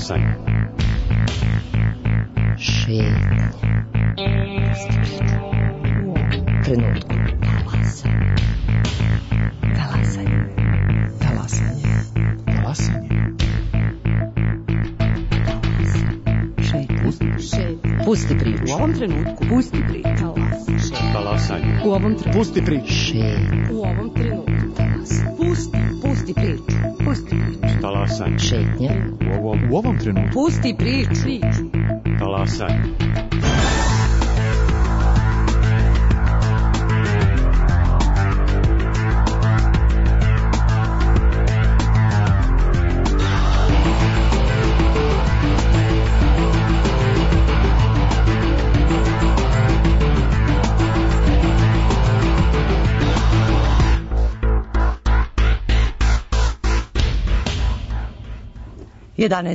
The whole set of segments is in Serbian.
Talasanje. Šetnje. Trenutku. Talasanje. Talasanje. Talasanje. Pusti priču. U ovom trenutku. Pusti priču. Talasanje. U ovom trenutku. Pusti priču. U ovom trenutku. Pusti priču. Pusti priču. Talasanje. Šetnja. U ovom trenutku. Pusti priču. Talasanje.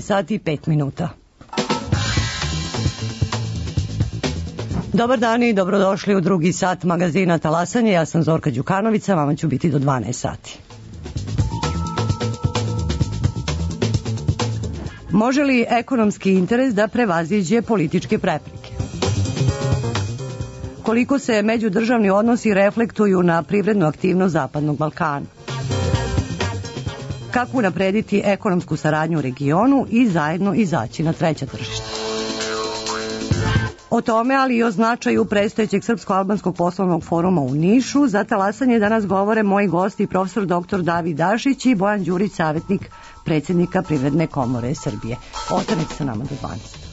Sati i 5 minuta. Dobar dan i dobrodošli u drugi sat magazina Talasanje. Ja sam Zorka Đukanovica, vama ću biti do 12 sati. Može li ekonomski interes da prevaziđe političke prepreke? Koliko se međudržavni odnosi reflektuju na privrednu aktivnost Zapadnog Balkana? Kako unaprediti ekonomsku saradnju u regionu i zajedno izaći na treća tržišta. O tome, ali i o značaju predstojećeg Srpsko-albanskog poslovnog foruma u Nišu, za Talasanje danas govore moji gosti profesor dr. David Dašić i Bojan Đurić, savjetnik predsjednika Privredne komore Srbije. Ostanite sa nama do 12.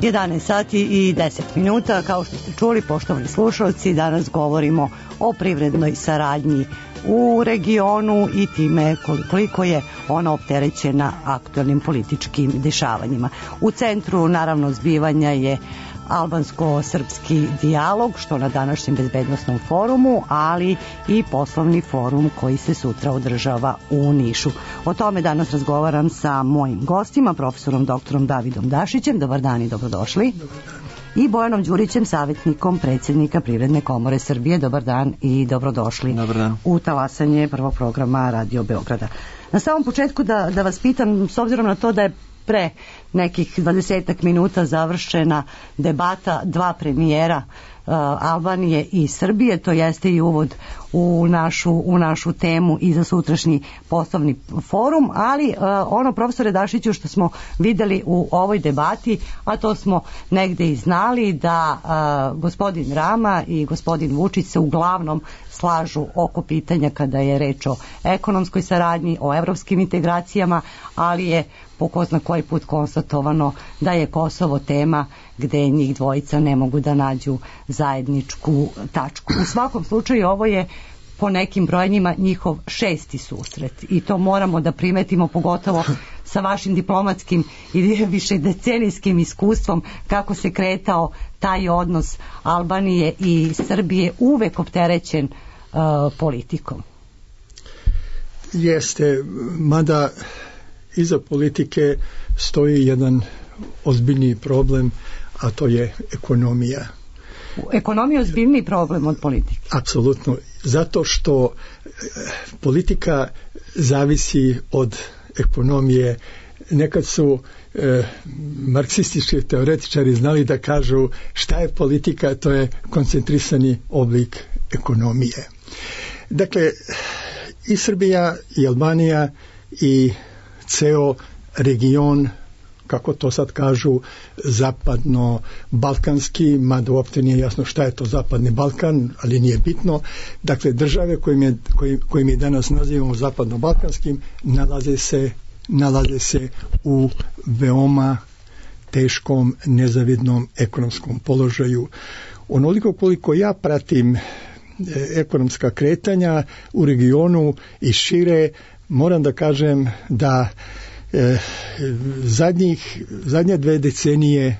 11 sati i 10 minuta, kao što ste čuli, poštovani slušalci, danas govorimo o privrednoj saradnji u regionu i time koliko je ona opterećena aktualnim političkim dešavanjima. U centru, naravno, zbivanja je albansko-srpski dijalog, što na današnjem bezbednosnom forumu, ali i poslovni forum koji se sutra održava u Nišu. O tome danas razgovaram sa mojim gostima, profesorom doktorom Davidom Dašićem. Dobar dan i dobrodošli. I Bojanom Đurićem, savjetnikom predsjednika Privredne komore Srbije. Dobar dan i dobrodošli. Dobar dan. U talasanje prvog programa Radio Beograda. Na samom početku da vas pitam, s obzirom na to da je pre nekih 20 minuta završena debata dva premijera Albanije i Srbije, to jeste i uvod u našu temu i za sutrašnji poslovni forum, ali ono, profesore Dašiću, što smo videli u ovoj debati, a to smo negde i znali, da gospodin Rama i gospodin Vučić se uglavnom slažu oko pitanja kada je reč o ekonomskoj saradnji, o evropskim integracijama, ali je po ko zna koji put konstatovano da je Kosovo tema gde njih dvojica ne mogu da nađu zajedničku tačku. U svakom slučaju ovo je po nekim brojanjima njihov 6. susret i to moramo da primetimo, pogotovo sa vašim diplomatskim i višedecenijskim iskustvom, kako se kretao taj odnos Albanije i Srbije, uvek opterećen politikom. Jeste, mada iza politike stoji jedan ozbiljniji problem, a to je ekonomija. Ekonomija je ozbiljniji problem od politike? Apsolutno, zato što politika zavisi od ekonomije. Nekad su marksistički teoretičari znali da kažu šta je politika, to je koncentrisani oblik ekonomije. Dakle, i Srbija i Albanija i ceo region, kako to sad kažu, zapadno-balkanski, mada uopšte nije jasno šta je to zapadni Balkan, ali nije bitno. Dakle, države koje mi danas nazivamo zapadno-balkanskim nalaze se u veoma teškom, nezavidnom ekonomskom položaju. Onoliko koliko ja pratim ekonomska kretanja u regionu i moram da kažem da zadnje 2 decenije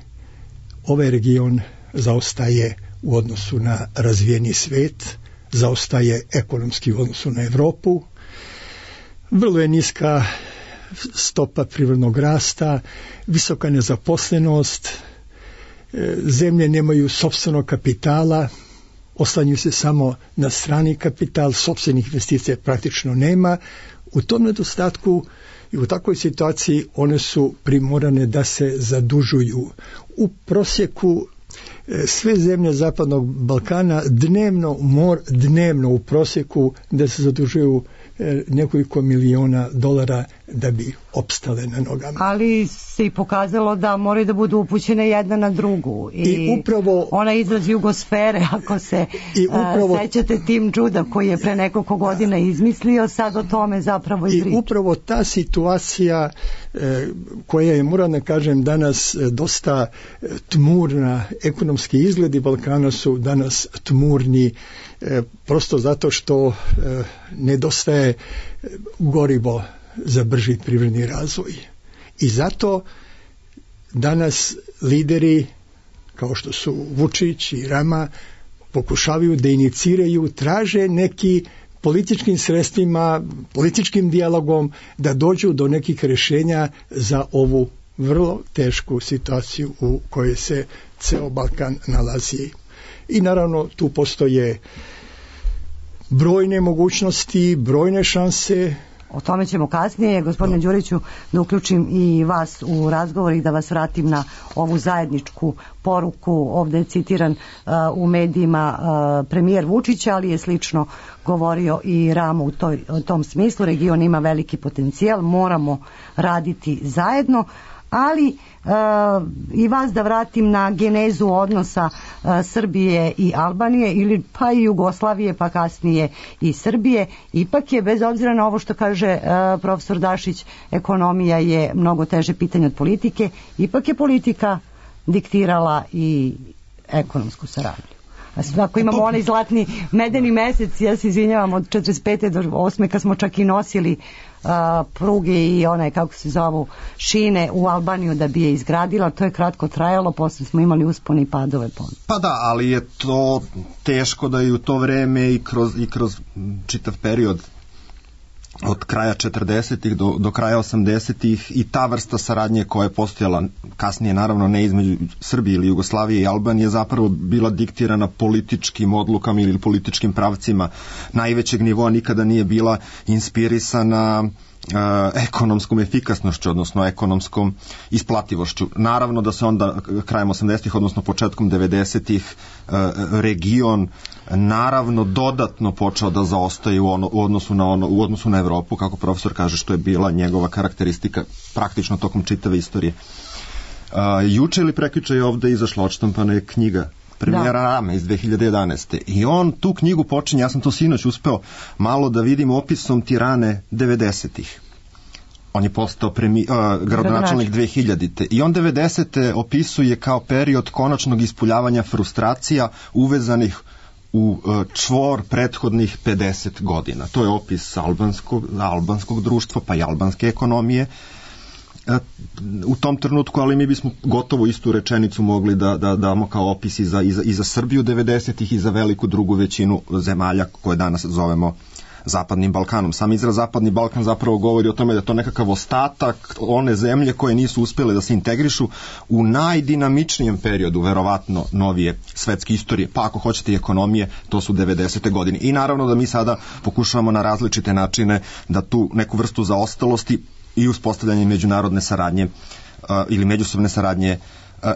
ovaj region zaostaje u odnosu na razvijeni svet, zaostaje ekonomski u odnosu na Evropu. Vrlo je niska stopa privrednog rasta, visoka nezaposlenost, zemlje nemaju sopstvenog kapitala, oslanjuju se samo na strani kapital, sopstvenih investicija praktično nema. U tom nedostatku i u takvoj situaciji one su primorane da se zadužuju. U prosjeku sve zemlje Zapadnog Balkana dnevno u prosjeku da se zadužuju nekoliko miliona dolara da bi opstale na nogama. Ali se i pokazalo da moraju da budu upućene jedna na drugu. I upravo ona izraz jugosfere, ako se sećate Tim Juda koji je pre nekoliko godina izmislio, sad o tome zapravo i priča. I upravo ta situacija koja je, moram da kažem, danas dosta tmurna, ekonomski izgledi Balkana su danas tmurni, prosto zato što nedostaje gorivo za brži privredni razvoj. I zato danas lideri kao što su Vučić i Rama pokušavaju da iniciraju, traže neki političkim sredstvima, političkim dijalogom da dođu do nekih rješenja za ovu vrlo tešku situaciju u kojoj se ceo Balkan nalazi. I naravno tu postoje brojne mogućnosti, brojne šanse. O tome ćemo kasnije. Gospodine Đuriću, da uključim i vas u razgovor i da vas vratim na ovu zajedničku poruku. Ovdje je citiran u medijima premijer Vučić, ali je slično govorio i Ramo u tom smislu. Region ima veliki potencijal, moramo raditi zajedno. Ali i vas da vratim na genezu odnosa Srbije i Albanije, ili pa i Jugoslavije, pa kasnije i Srbije. Ipak je, bez obzira na ovo što kaže profesor Dašić, ekonomija je mnogo teže pitanje od politike, ipak je politika diktirala i ekonomsku saradnju. Ako imamo onaj zlatni medeni mesec, ja se izvinjavam, od 45. do 8. kad smo čak i nosili pruge i one, kako se zovu, šine u Albaniju da bi je izgradila, to je kratko trajalo, posle smo imali uspone i padove. Pa da, ali je to teško da i u to vreme i kroz čitav period od kraja 40-ih do kraja 80-ih i ta vrsta saradnje koja je postojala kasnije, naravno ne između Srbije ili Jugoslavije i Albanije, zapravo bila diktirana političkim odlukama ili političkim pravcima najvećeg nivoa, nikada nije bila inspirisana ekonomskom efikasnošću, odnosno ekonomskom isplativošću. Naravno da se onda krajem 80-ih, odnosno početkom 90-ih region naravno dodatno počeo da zaostaje u odnosu na Evropu, kako profesor kaže, što je bila njegova karakteristika praktično tokom čitave istorije. Juče ili prekjuče je ovde izašla odštampana je knjiga premijera Rame iz 2011. I on tu knjigu počinje, ja sam to sinoć uspeo malo da vidim, opisom Tirane 90-ih. On je postao gradonačelnik 2000. I on 90. opisuje kao period konačnog ispuljavanja frustracija uvezanih u čvor prethodnih 50 godina. To je opis albanskog društva, pa i albanske ekonomije u tom trenutku, ali mi bismo gotovo istu rečenicu mogli da damo kao opis i za Srbiju 90-ih i za veliku drugu većinu zemalja koje danas zovemo Zapadnim Balkanom. Sam izraz Zapadni Balkan zapravo govori o tome da je to nekakav ostatak one zemlje koje nisu uspjele da se integrišu u najdinamičnijem periodu, verovatno novije svetske istorije, pa ako hoćete i ekonomije, to su 90. godine. I naravno da mi sada pokušavamo na različite načine da tu neku vrstu zaostalosti i uspostavljanje međunarodne saradnje ili međusobne saradnje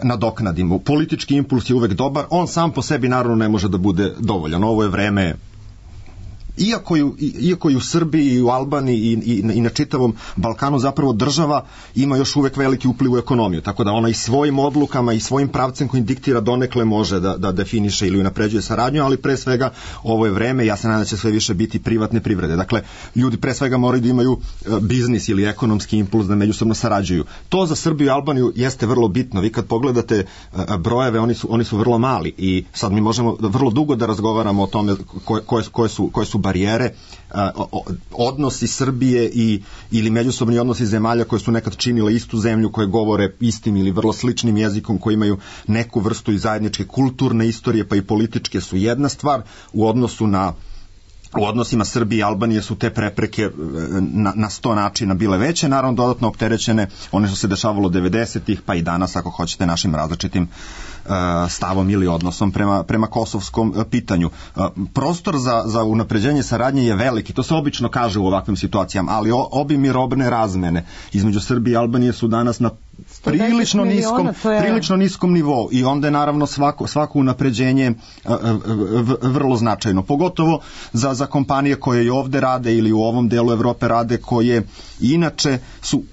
nadoknadimo. Politički impuls je uvek dobar, on sam po sebi naravno ne može da bude dovoljan. Ovo je vreme, iako i u Srbiji i u Albaniji i na čitavom Balkanu zapravo država ima još uvek veliki upliv u ekonomiju, tako da ona i svojim odlukama i svojim pravcem kojim diktira donekle može da definiše ili unapređuje saradnju, ali pre svega ovo je vreme, ja se nadam da će sve više biti privatne privrede. Dakle, ljudi pre svega moraju da imaju biznis ili ekonomski impuls da međusobno sarađuju. To za Srbiju i Albaniju jeste vrlo bitno. Vi kad pogledate brojeve, oni su vrlo mali i sad mi možemo vrlo dugo da razgovaramo o tome koje su barijere, odnosi Srbije ili međusobni odnosi zemalja koje su nekad činile istu zemlju, koje govore istim ili vrlo sličnim jezikom, koji imaju neku vrstu i zajedničke kulturne istorije, pa i političke, su jedna stvar. U odnosima Srbije i Albanije su te prepreke na 100 načina bile veće, naravno dodatno opterećene one što se dešavalo 90-ih, pa i danas ako hoćete našim različitim stavom ili odnosom prema kosovskom pitanju. Prostor za unapređenje saradnje je veliki, to se obično kaže u ovakvim situacijama, ali obim i robne razmene između Srbije i Albanije su danas na prilično niskom nivou i onda je naravno svako unapređenje vrlo značajno, pogotovo za kompanije koje i ovde rade ili u ovom delu Evrope rade, koje inače su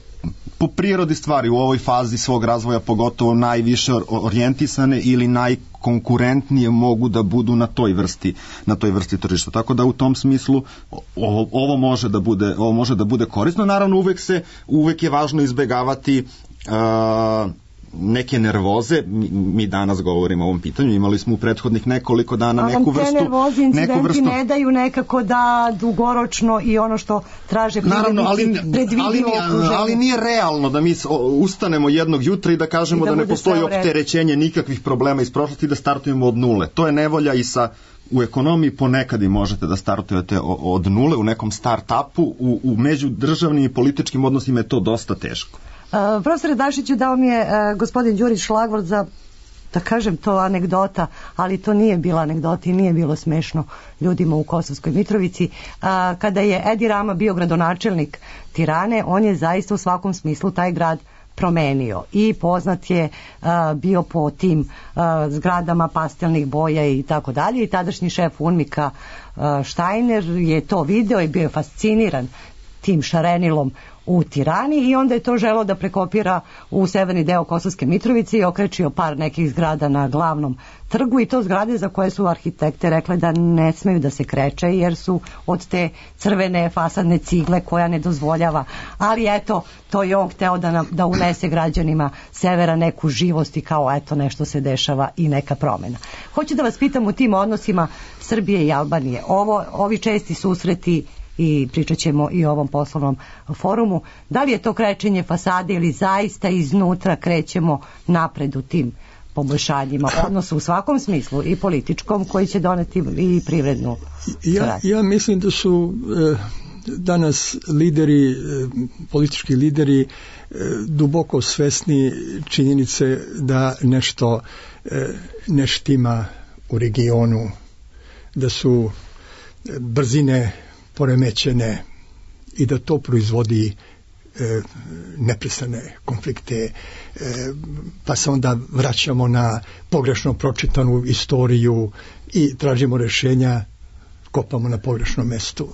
po prirodi stvari u ovoj fazi svog razvoja pogotovo najviše orijentisane ili najkonkurentnije mogu da budu na toj vrsti tržišta. Tako da u tom smislu ovo može da bude korisno. Naravno uvek je važno izbegavati neke nervoze. Mi danas govorimo o ovom pitanju, imali smo u prethodnih nekoliko dana neku vrstu... Te nervoze, incidenti ne daju nekako da dugoročno i ono što traže privrednici predvidivo okruženje. Ali nije realno da mi ustanemo jednog jutra i da kažemo da ne postoji opterećenje nikakvih problema iz prošlosti i da startujemo od nule. To je nevolja i u ekonomiji ponekad i možete da startujete od nule u nekom start-upu, u međudržavnim i političkim odnosima je to dosta teško. Profesore Dašiću, dao mi je gospodin Đurić šlagvort za, da kažem, to anegdota, ali to nije bila anegdota i nije bilo smešno ljudima u Kosovskoj Mitrovici. Kada je Edi Rama bio gradonačelnik Tirane, on je zaista u svakom smislu taj grad promenio i poznat je bio po tim zgradama pastelnih boja i tako dalje, i tadašnji šef UNMIK-a Štajner je to video i bio je fasciniran tim šarenilom u Tirani i onda je to želeo da prekopira u severni deo Kosovske Mitrovice i okrečio par nekih zgrada na glavnom trgu i to zgrade za koje su arhitekte rekle da ne smeju da se kreče jer su od te crvene fasadne cigle koja ne dozvoljava, ali eto, to je on hteo da unese građanima severa neku živost i kao eto nešto se dešava i neka promena. Hoću da vas pitam u tim odnosima Srbije i Albanije. Ovi česti susreti i pričat ćemo i o ovom poslovnom forumu. Da li je to krečenje fasade ili zaista iznutra krećemo napred u tim poboljšanjima, odnosno u svakom smislu i političkom koji će doneti i privrednu saradnju? Ja mislim da su danas lideri, politički lideri duboko svesni činjenice da nešto ne štima u regionu, da su brzine poremećene i da to proizvodi neprestane konflikte, pa se onda vraćamo na pogrešno pročitanu istoriju i tražimo rješenja, kopamo na pogrešnom mestu.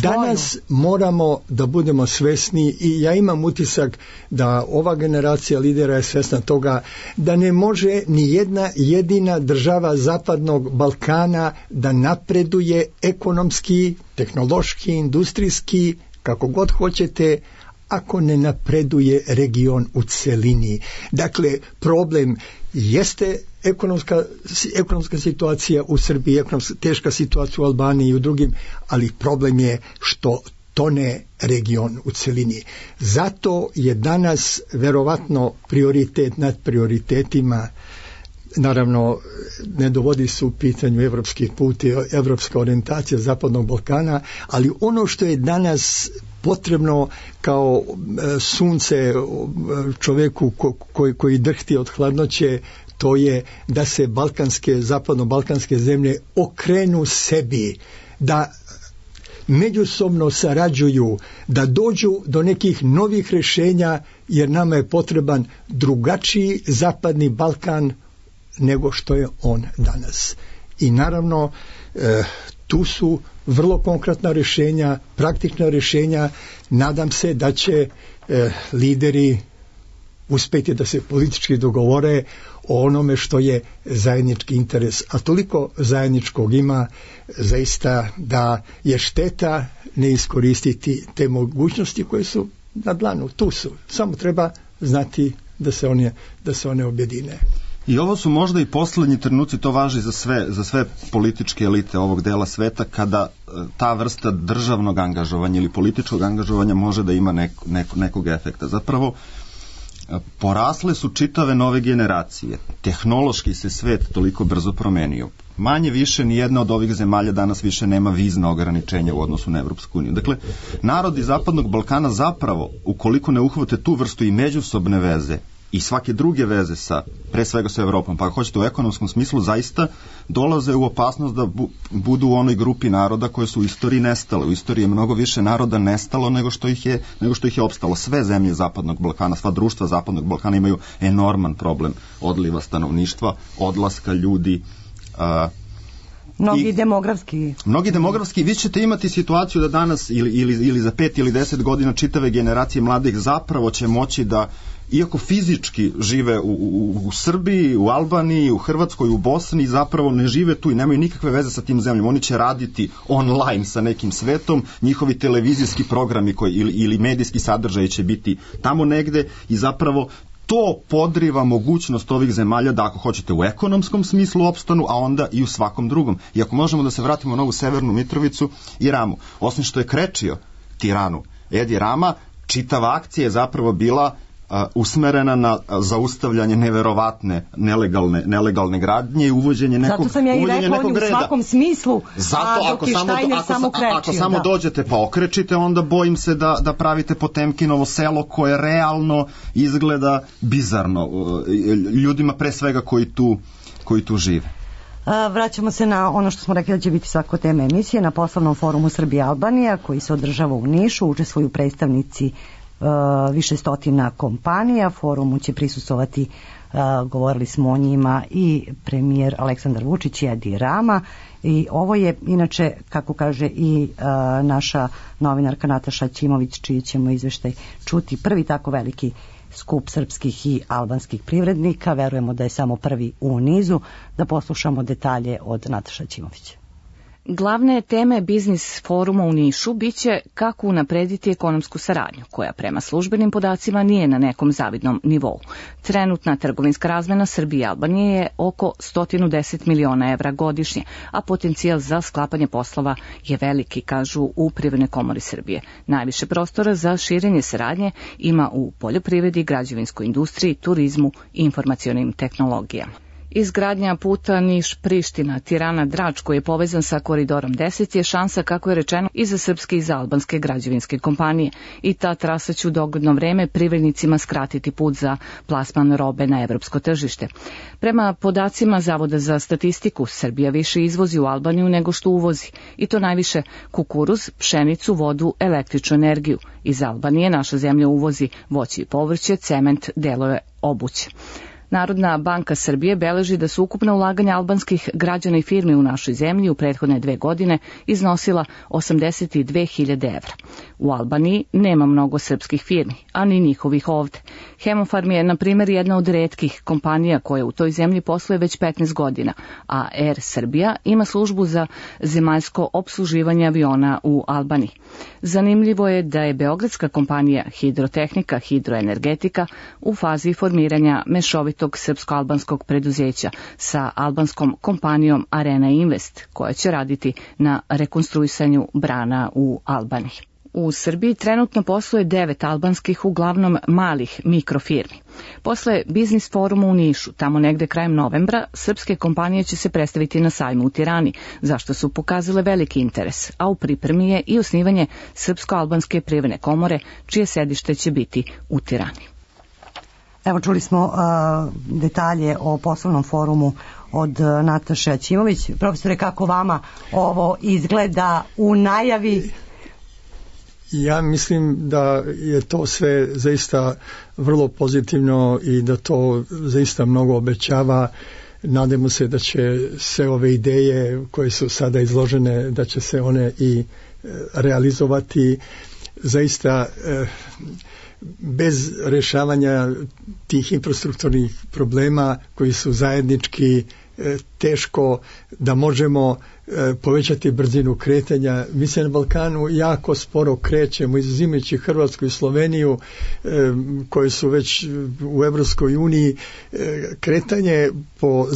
Danas moramo da budemo svesni i ja imam utisak da ova generacija lidera je svesna toga da ne može ni jedna jedina država Zapadnog Balkana da napreduje ekonomski, tehnološki, industrijski, kako god hoćete, ako ne napreduje region u celini. Dakle, problem jeste ekonomska situacija u Srbiji, teška situacija u Albaniji i u drugim, ali problem je što tone region u celini. Zato je danas verovatno prioritet nad prioritetima, naravno ne dovodi se u pitanju evropski put i evropska orijentacija Zapadnog Balkana, ali ono što je danas potrebno kao sunce čoveku koji drhti od hladnoće, to je da se zapadno-balkanske zemlje okrenu sebi, da međusobno sarađuju, da dođu do nekih novih rješenja, jer nama je potreban drugačiji Zapadni Balkan nego što je on danas. I naravno tu su vrlo konkretna rješenja, praktična rješenja. Nadam se da će lideri uspjeti da se politički dogovore o onome što je zajednički interes, a toliko zajedničkog ima zaista da je šteta ne iskoristiti te mogućnosti koje su na dlanu, tu su, samo treba znati da se one objedine. I ovo su možda i poslednji trenuci, to važi za sve političke elite ovog dela sveta, kada ta vrsta državnog angažovanja ili političkog angažovanja može da ima nekog efekta. Zapravo, porasle su čitave nove generacije. Tehnološki se svet toliko brzo promenio. Manje više ni jedna od ovih zemalja danas više nema vizna ograničenja u odnosu na Evropsku uniju. Dakle, narodi Zapadnog Balkana zapravo, ukoliko ne uhvate tu vrstu i međusobne veze i svake druge veze pre svega sa Evropom, pa ako hoćete u ekonomskom smislu, zaista dolaze u opasnost da budu u onoj grupi naroda koje su u istoriji nestale. U istoriji je mnogo više naroda nestalo nego što ih je opstalo. Sve zemlje Zapadnog Balkana, sva društva Zapadnog Balkana imaju enorman problem odliva stanovništva, odlaska ljudi. Mnogi demografski. Vi ćete imati situaciju da danas ili za 5 ili 10 godina čitave generacije mladih zapravo će moći da, iako fizički žive u Srbiji, u Albaniji, u Hrvatskoj, u Bosni, zapravo ne žive tu i nemaju nikakve veze sa tim zemljom. Oni će raditi online sa nekim svetom, njihovi televizijski programi ili medijski sadržaj će biti tamo negde i zapravo to podriva mogućnost ovih zemalja da, ako hoćete, u ekonomskom smislu opstanu, a onda i u svakom drugom. I ako možemo da se vratimo na ovu Severnu Mitrovicu i Ramu, osim što je krečio Tiranu Edi Rama, čitava akcija je zapravo bila usmerena na zaustavljanje neverovatne nelegalne gradnje i uvođenje nekog reda. Zato sam ja i rekla, on je u svakom smislu, dok je Štajner samo krečio. Ako samo dođete pa okrečite, onda bojim se da pravite Potemkinovo selo koje realno izgleda bizarno ljudima pre svega koji tu žive. Vraćamo se na ono što smo rekli da će biti svako tema emisije, na poslovnom forumu Srbija-Albanija koji se održava u Nišu, učestvuju predstavnici više stotina kompanija. Forumu će prisustvovati, govorili smo o njima, i premijer Aleksandar Vučić i Edi Rama. I ovo je inače, kako kaže i naša novinarka Nataša Ćimović, čiji ćemo izveštaj čuti, prvi tako veliki skup srpskih i albanskih privrednika. Verujemo da je samo prvi u nizu. Da poslušamo detalje od Nataša Ćimović. Glavne teme biznis foruma u Nišu biće kako unaprediti ekonomsku saradnju, koja prema službenim podacima nije na nekom zavidnom nivou. Trenutna trgovinska razmena Srbije i Albanije je oko 110 miliona evra godišnje, a potencijal za sklapanje poslova je veliki, kažu u Privrednoj komori Srbije. Najviše prostora za širenje saradnje ima u poljoprivredi, građevinskoj industriji, turizmu i informacionim tehnologijama. Izgradnja puta Niš-Priština, Tirana-Drač, koji je povezan sa koridorom 10, je šansa, kako je rečeno, i za srpske i za albanske građevinske kompanije. I ta trasa će u dogledno vreme privrednicima skratiti put za plasman robe na evropsko tržište. Prema podacima Zavoda za statistiku, Srbija više izvozi u Albaniju nego što uvozi. I to najviše kukuruz, pšenicu, vodu, električnu energiju. Iz Albanije naša zemlja uvozi voće i povrće, cement, delove obuće. Narodna banka Srbije beleži da su ukupna ulaganja albanskih građana i firmi u našoj zemlji u prethodne 2 godine iznosila 82.000 evra. U Albaniji nema mnogo srpskih firmi, a ni njihovih ovde. Hemofarm je, na primjer, jedna od retkih kompanija koja u toj zemlji posluje već 15 godina, a Air Srbija ima službu za zemaljsko opsluživanje aviona u Albaniji. Zanimljivo je da je beogradska kompanija Hidrotehnika Hidroenergetika u fazi formiranja mešovitog srpsko-albanskog preduzeća sa albanskom kompanijom Arena Invest, koja će raditi na rekonstruisanju brana u Albaniji. U Srbiji trenutno posluje 9 albanskih, uglavnom malih mikrofirmi. Posle biznis foruma u Nišu, tamo negde krajem novembra, srpske kompanije će se predstaviti na sajmu u Tirani, zašto su pokazale veliki interes, a u pripremi je i osnivanje Srpsko-albanske privredne komore, čije sedište će biti u Tirani. Evo, čuli smo detalje o poslovnom forumu od Nataše Ćimović. Profesore, kako vama ovo izgleda u najavi? Ja mislim da je to sve zaista vrlo pozitivno i da to zaista mnogo obećava. Nadamo se da će sve ove ideje koje su sada izložene, da će se one i realizovati. Zaista bez rješavanja tih infrastrukturnih problema koji su zajednički, teško da možemo povećati brzinu kretanja. Mi se na Balkanu jako sporo krećemo, izuzimajući Hrvatsku i Sloveniju, koje su već u Evropskoj uniji. Kretanje po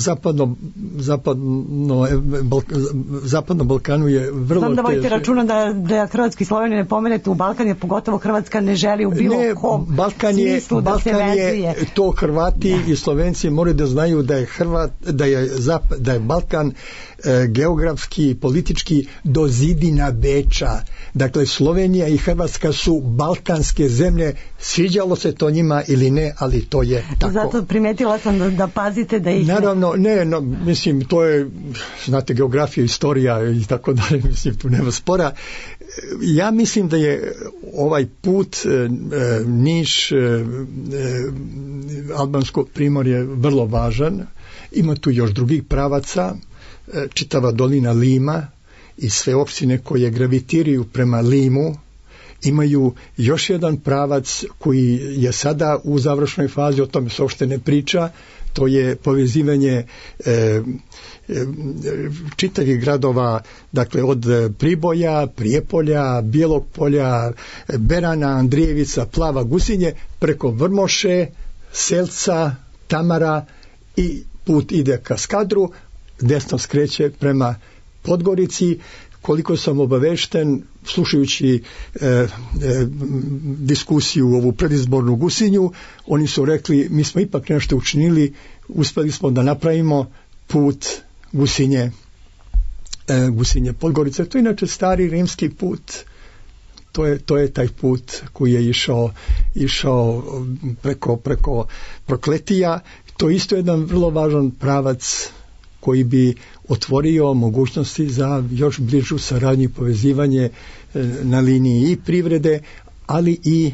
zapadnom Balkanu je vrlo teško. Znam da vodite računa da Hrvatski i Sloveniju ne pomenete u Balkan, jer pogotovo Hrvatska ne želi u bilo kom smislu da se vezuje. To Hrvati i Slovenci moraju da znaju da je Balkan geografski i politički do zidina Beča. Dakle, Slovenija i Hrvatska su balkanske zemlje, sviđalo se to njima ili ne, ali to je tako. Zato primetila sam da pazite da ih... Naravno, mislim, to je, znate, geografija, istorija i tako dalje, mislim, tu nema spora. Ja mislim da je ovaj put Niš, Albansko primorje vrlo važan. Ima tu još drugih pravaca, čitava dolina Lima i sve opštine koje gravitiraju prema Limu imaju još jedan pravac koji je sada u završnoj fazi, o tome se uopšte ne priča, to je povezivanje čitavih gradova, dakle od Priboja, Prijepolja, Bijelog Polja, Berana, Andrijevica, Plava, Gusinje, preko Vrmoše, Selca, Tamara i put ide ka Skadru, desno skreće prema Podgorici. Koliko sam obavešten, slušajući diskusiju ovu predizbornu Gusinju, oni su rekli, mi smo ipak nešto učinili, uspeli smo da napravimo put Gusinje Podgorice. To je inače stari rimski put. To je taj put koji je išao preko Prokletija. To je isto jedan vrlo važan pravac koji bi otvorio mogućnosti za još bližu saradnju i povezivanje na liniji i privrede, ali i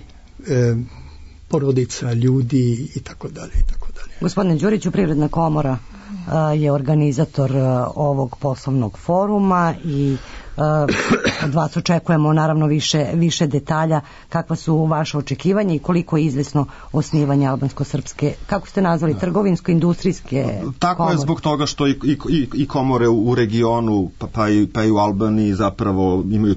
porodica, ljudi i tako dalje i tako dalje. Gospodine Đuriću, Privredna komora je organizator ovog poslovnog foruma i od vas očekujemo naravno više detalja kakva su vaše očekivanja i koliko je izvesno osnivanje albansko-srpske, kako ste nazvali, trgovinsko-industrijske tako komore. Je zbog toga što i komore u regionu pa i u Albaniji zapravo imaju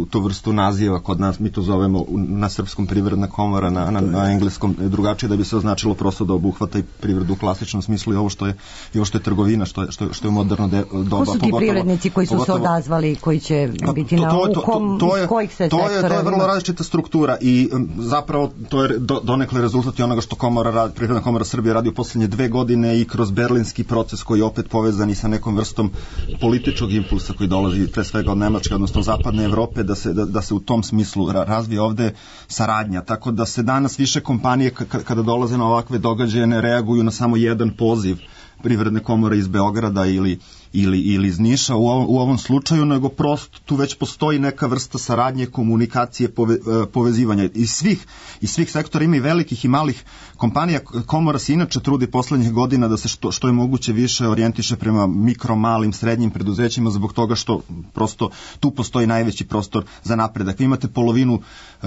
tu vrstu naziva. Kod nas mi to zovemo na srpskom Privredna komora, na engleskom drugačije, da bi se označilo prosto da obuhvata i privredu u klasičnom smislu i ovo što je trgovina, što je moderno doba. Ko su ti privrednici koji su se odazvali, koji će biti iz kojih se sektora? To je vrlo različita struktura i zapravo to je donekle rezultat i onoga što Privredna komora Srbije radi u posljednje 2 godine i kroz berlinski proces koji je opet povezan i sa nekom vrstom političkog impulsa koji dolazi pre svega od Nemačke, odnosno zapadne Evrope, da se u tom smislu razvije ovde saradnja. Tako da se danas više kompanije kada dolaze na ovakve događaje ne reaguju na samo jedan poziv Privredne komore iz Beograda ili iz Niša u ovom slučaju, nego prosto tu već postoji neka vrsta saradnje, komunikacije, povezivanja. Iz svih sektora ima i velikih i malih kompanija. Komora se inače trudi poslednjih godina da se što je moguće više orijentiše prema mikro, malim, srednjim preduzećima zbog toga što prosto tu postoji najveći prostor za napredak. Vi imate polovinu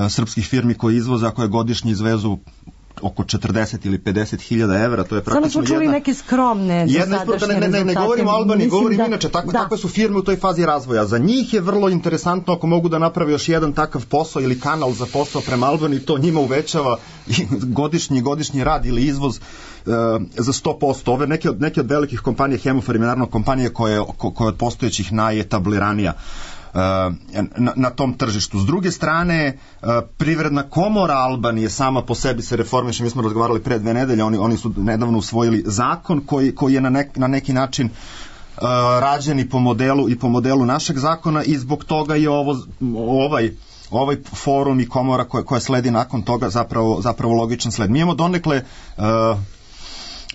srpskih firmi koje izvoze, a koje godišnje izvezu oko 40 ili 50 hiljada evra, to je praktično smo čuli neke skromne dosadašnje rezultate. Ne govorimo o Albaniji, govorim inače, takve su firme u toj fazi razvoja. Za njih je vrlo interesantno ako mogu da naprave još jedan takav posao ili kanal za posao prema Albaniji, to njima uvećava godišnji rad ili izvoz za 100%. Ove neke od velikih kompanija, Hemofarm je naravno kompanija koja je od postojećih najetabliranija na tom tržištu. S druge strane, Privredna komora Albanije sama po sebi se reformiše. Mi smo razgovarali pre 2 nedelje, oni su nedavno usvojili zakon koji je na neki način rađen i po modelu našeg zakona i zbog toga je ovaj forum i komora koja sledi nakon toga zapravo logičan sled. Mi imamo donekle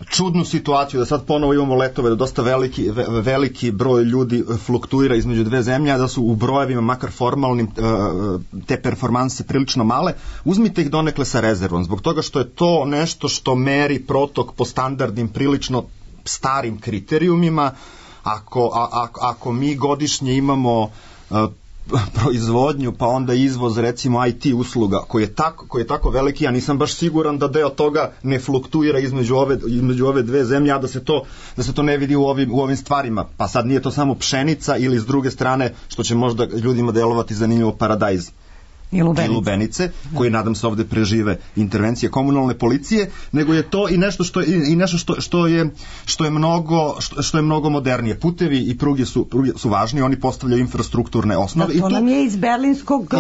čudnu situaciju da sad ponovo imamo letove, da dosta veliki broj ljudi fluktuira između 2 zemlje, a da su u brojevima, makar formalnim, te performanse prilično male. Uzmite ih donekle sa rezervom, zbog toga što je to nešto što meri protok po standardnim, prilično starim kriterijumima. Ako mi godišnje imamo proizvodnju, pa onda izvoz recimo IT usluga koji je tako veliki, ja nisam baš siguran da deo toga ne fluktuira između ove 2 zemlje, a da se to ne vidi u ovim stvarima. Pa sad nije to samo pšenica ili s druge strane, što će možda ljudima delovati zanimljivo, paradajz i lubenice, koji nadam se ovde prežive intervencije komunalne policije, nego je to i nešto što je mnogo modernije. Putevi i pruge su važni, oni postavljaju infrastrukturne osnove. To nam je iz berlinskog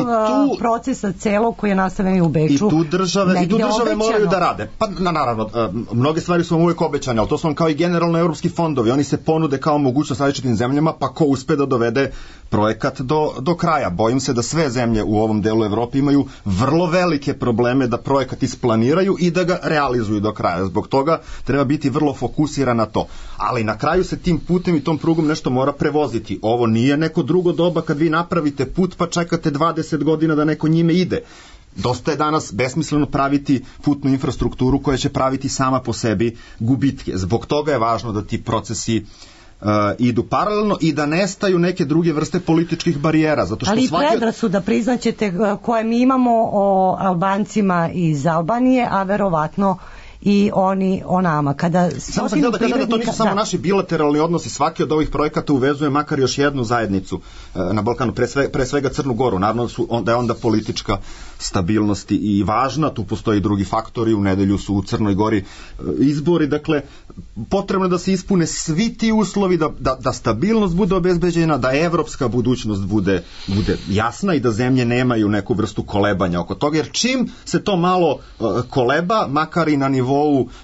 procesa celog koji je nastavljen u Beču. I tu države moraju da rade. Pa naravno, mnoge stvari su vam uvijek obećane, ali to su vam kao i generalno evropski fondovi. Oni se ponude kao mogućnost različitim zemljama, pa ko uspe da dovede projekat do kraja. Bojim se da sve zemlje u ovom delu Evrope imaju vrlo velike probleme da projekat isplaniraju i da ga realizuju do kraja. Zbog toga treba biti vrlo fokusiran na to. Ali na kraju se tim putem i tom prugom nešto mora prevoziti. Ovo nije neko drugo doba kad vi napravite put pa čekate 20 godina da neko njime ide. Dosta je danas besmisleno praviti putnu infrastrukturu koja će praviti sama po sebi gubitke. Zbog toga je važno da ti procesi idu paralelno i da nestaju neke druge vrste političkih barijera. Zato što ali i predrasuda, priznaćete, koje mi imamo o Albancima iz Albanije, a verovatno i oni o nama. Samo sam htio da kažem da to nisu samo naši bilateralni odnosi, svaki od ovih projekata uvezuje makar još jednu zajednicu na Balkanu, pre svega Crnu Goru. Naravno da je onda politička stabilnost i važna, tu postoji drugi faktori, u nedelju su u Crnoj Gori izbori, dakle potrebno je da se ispune svi ti uslovi, da stabilnost bude obezbeđena, da evropska budućnost bude jasna i da zemlje nemaju neku vrstu kolebanja oko toga, jer čim se to malo koleba, makar i na nivou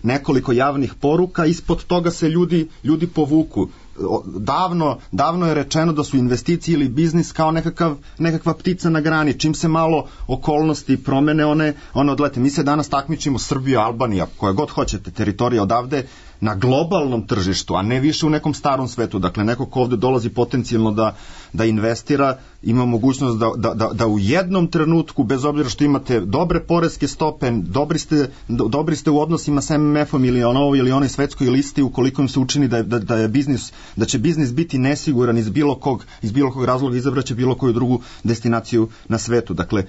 nekoliko javnih poruka, ispod toga se ljudi povuku. Davno je rečeno da su investicije ili biznis kao nekakva ptica na grani. Čim se malo okolnosti promene, one odlete. Mi se danas takmičimo, Srbija, Albanija, koja god hoćete, teritorija odavde, na globalnom tržištu, a ne više u nekom starom svetu. Dakle, neko ko ovde dolazi potencijalno da investira, ima mogućnost da u jednom trenutku, bez obzira što imate dobre poreske stope, dobri ste u odnosima sa MMF-om ili ili onoj svetskoj listi, ukoliko im se učini da će biznis biti nesiguran iz bilo kog razloga, izabraće bilo koju drugu destinaciju na svetu. Dakle,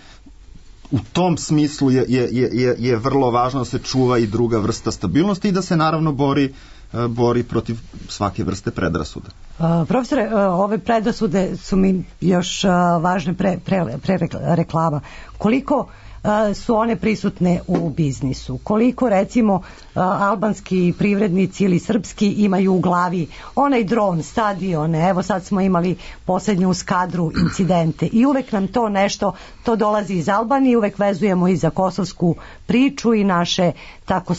u tom smislu je vrlo važno da se čuva i druga vrsta stabilnosti i da se naravno bori protiv svake vrste predrasuda. Profesore, ove predrasude su mi još važne pre reklama. Koliko su one prisutne u biznisu? Koliko, recimo, albanski privrednici ili srpski imaju u glavi onaj dron, stadione, evo sad smo imali posljednju skadru incidente i uvek nam to nešto, to dolazi iz Albanije, uvek vezujemo i za kosovsku priču i naše tako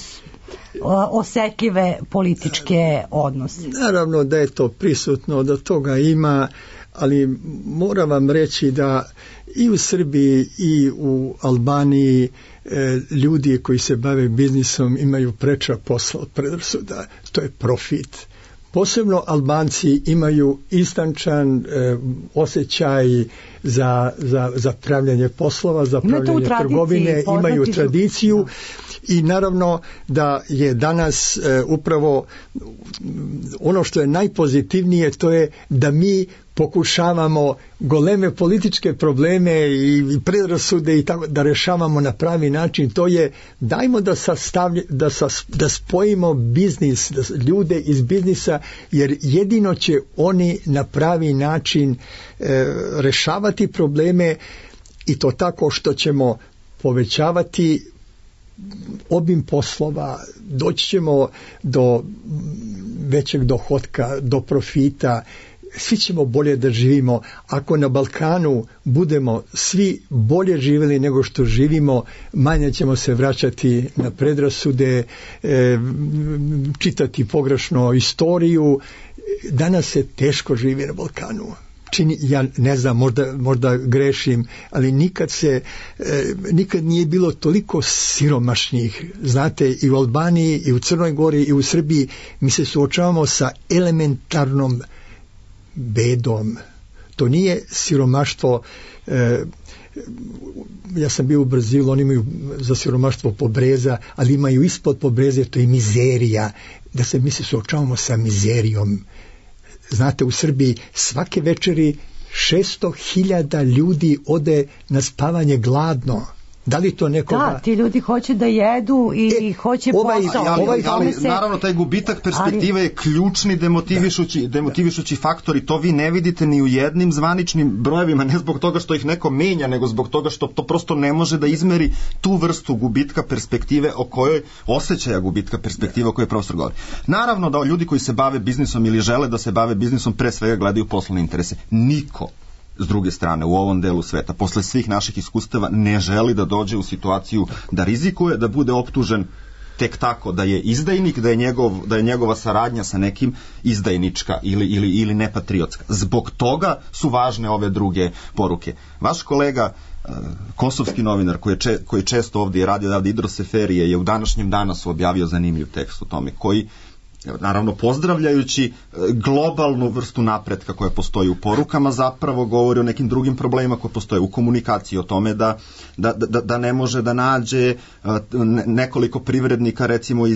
osetljive političke odnose. Naravno da je to prisutno, da toga ima, ali moram vam reći da i u Srbiji i u Albaniji ljudi koji se bave biznisom imaju preča posla od predrasuda, to je profit. Posebno Albanci imaju istančan osjećaj za pravljanje poslova, za pravljanje trgovine, imaju tradiciju i naravno da je danas upravo ono što je najpozitivnije, to je da mi pokušavamo goleme političke probleme i predrasude i tako da rešavamo na pravi način. To je dajmo da spojimo biznis, ljude iz biznisa, jer jedino će oni na pravi način rešavati probleme i to tako što ćemo povećavati obim poslova, doći ćemo do većeg dohotka, do profita, svi ćemo bolje da živimo. Ako na Balkanu budemo svi bolje živjeli nego što živimo, manje ćemo se vraćati na predrasude, čitati pogrešno istoriju. Danas se teško živi na Balkanu. Ja ne znam, možda grešim, ali nikad nije bilo toliko siromašnih. Znate, i u Albaniji, i u Crnoj Gori, i u Srbiji mi se suočavamo sa elementarnom bedom. To nije siromaštvo. Ja sam bio u Brazilu, oni imaju za siromaštvo pobreza, ali imaju ispod pobreze, to je mizerija. Mi se suočavamo sa mizerijom. Znate, u Srbiji svake večeri 600.000 ljudi ode na spavanje gladno. Da li to nekoga... Da, ti ljudi hoće da jedu i hoće posao. Ali naravno taj gubitak perspektive je ključni demotivišući faktor i to vi ne vidite ni u jednim zvaničnim brojevima, ne zbog toga što ih neko menja, nego zbog toga što to prosto ne može da izmeri tu vrstu gubitka perspektive osjećaja gubitka perspektive o kojoj profesor govori. Naravno da ljudi koji se bave biznisom ili žele da se bave biznisom pre svega gledaju poslovne interese. Niko s druge strane u ovom delu sveta posle svih naših iskustava ne želi da dođe u situaciju da rizikuje, da bude optužen tek tako da je izdajnik, da je njegova saradnja sa nekim izdajnička ili nepatriotska. Zbog toga su važne ove druge poruke. Vaš kolega kosovski novinar koji često ovdje radi odavde, Idro Seferije, je u današnjem Danasu objavio zanimljiv tekst o tome, koji naravno pozdravljajući globalnu vrstu napretka koja postoji u porukama, zapravo govori o nekim drugim problemima koje postoje u komunikaciji, o tome da ne može da nađe nekoliko privrednika recimo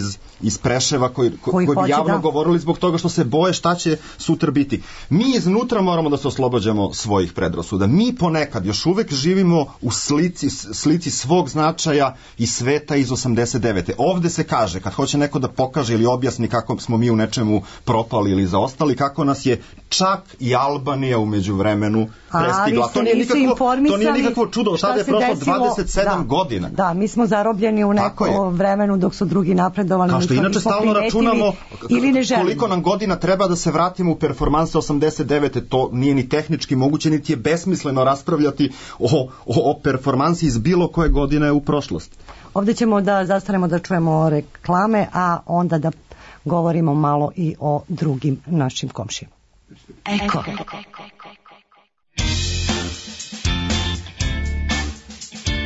iz Preševa koji bi javno govorili zbog toga što se boje šta će sutra biti. Mi iznutra moramo da se oslobađamo svojih predrasuda. Mi ponekad još uvek živimo u slici svog značaja i sveta iz 89. Ovde se kaže, kad hoće neko da pokaže ili objasni kako smo mi u nečemu propali ili zaostali, kako nas je čak i Albanija u međuvremenu prestigla. To nije nikakvo čudo, tada je prošlo 27 godina. Da, mi smo zarobljeni u neko vremenu dok su drugi napredovali. Kao što inače stalno računamo koliko nam godina treba da se vratimo u performanse 89. To nije ni tehnički moguće, niti je besmisleno raspravljati o performansi iz bilo koje godine u prošlosti. Ovdje ćemo da zastanemo da čujemo reklame, a onda da govorimo malo i o drugim našim komšijama. Eko.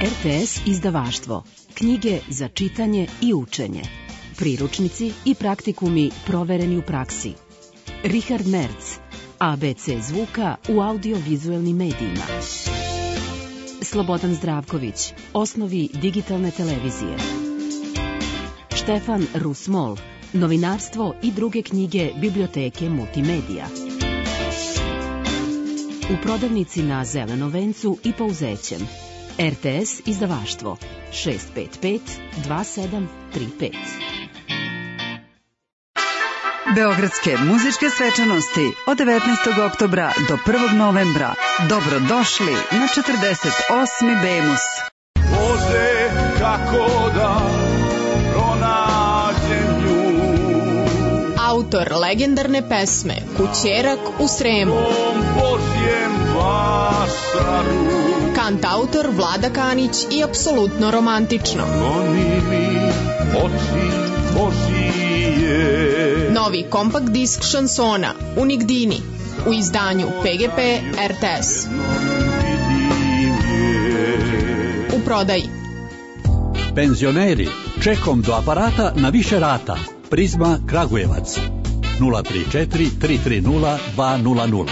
RTS izdavaštvo. Knjige za čitanje i učenje. priručnici i praktikumi provereni u praksi. Richard Merz, ABC zvuka u audiovizuelnim medijima. Slobodan Zdravković, osnovi digitalne televizije. Štefan Rusmol, novinarstvo i druge knjige biblioteke Multimedija. U prodavnici na Zelenom vencu i Pouzećem. RTS izdavaštvo 655 2735. Beogradske muzičke svečanosti od 19. oktobra do 1. novembra. Dobrodošli na 48. Bemus. Bože, kako da pronađem nju. Autor legendarne pesme Kućerak u Sremu. Božjem vašaru. Kantautor Vlada Kanić i apsolutno romantično. Goni mi oči Božije. Novi kompakt disk šansona Unigdini u izdanju PGP RTS. U prodaji. Penzioneri, čekom do aparata na više rata. Prizma Kragujevac 034 330 200.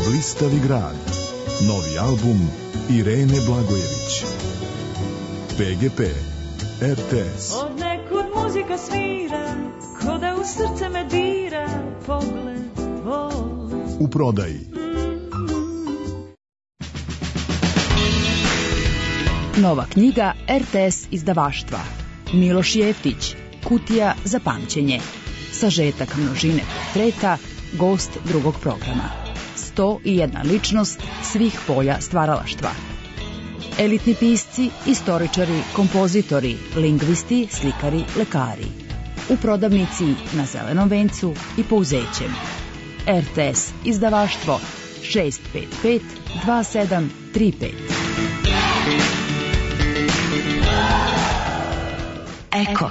Blistavi grad. Novi album Irene Blagojević. PGP RTS. Od nekud muzika svira, ko da u srce me dira, pogled tvoj. U prodaji. Nova knjiga RTS izdavaštva. Miloš Jeftić, Kutija za pamćenje. Sažetak množine portreta, gost drugog programa. 101 ličnost svih polja stvaralaštva. Elitni pisci, istoričari, kompozitori, lingvisti, slikari, lekari. U prodavnici na Zelenom vencu i Pouzećem. RTS izdavaštvo 655 2735. Eko.